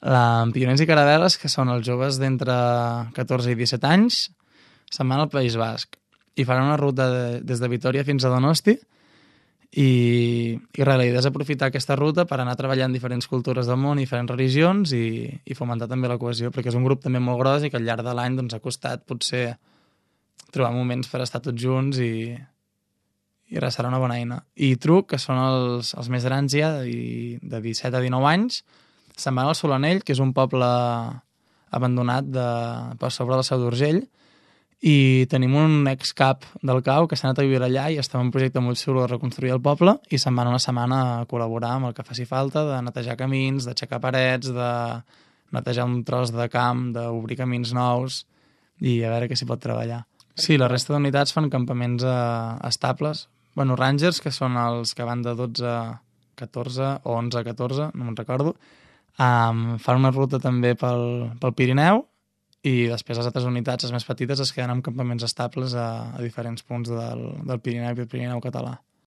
Pioners i Caravel·les, que són els joves d'entre 14 i 17 anys, se'n van al País Basc i faran una ruta des de Vitòria fins a Donosti i res, la idea és aprofitar aquesta ruta per anar treballant diferents cultures del món i diferents religions i fomentar també la cohesió, perquè és un grup també molt gros i que al llarg de l'any doncs, ha costat potser trobar moments per estar tots junts i res, serà una bona eina. I Truc, que són els més grans ja, de 17 a 19 anys, se'n van al Solanell, que és un poble abandonat per sobre del Seu d'Urgell, i tenim un ex-cap del CAU que s'ha anat a viure allà i està en un projecte molt xulo de reconstruir el poble i se'n van una setmana a col·laborar amb el que faci falta, de netejar camins, d'aixecar parets, de netejar un tros de camp, d'obrir camins nous i a veure què s'hi pot treballar. Sí, la resta d'unitats fan campaments estables. Bueno, Rangers, que són els que van de 12 a 14 o 11 a 14, no me'n recordo, fan una ruta també pel Pirineu i després les altres unitats, les més petites, es queden en campaments estables a diferents punts del Pirineu i el Pirineu català.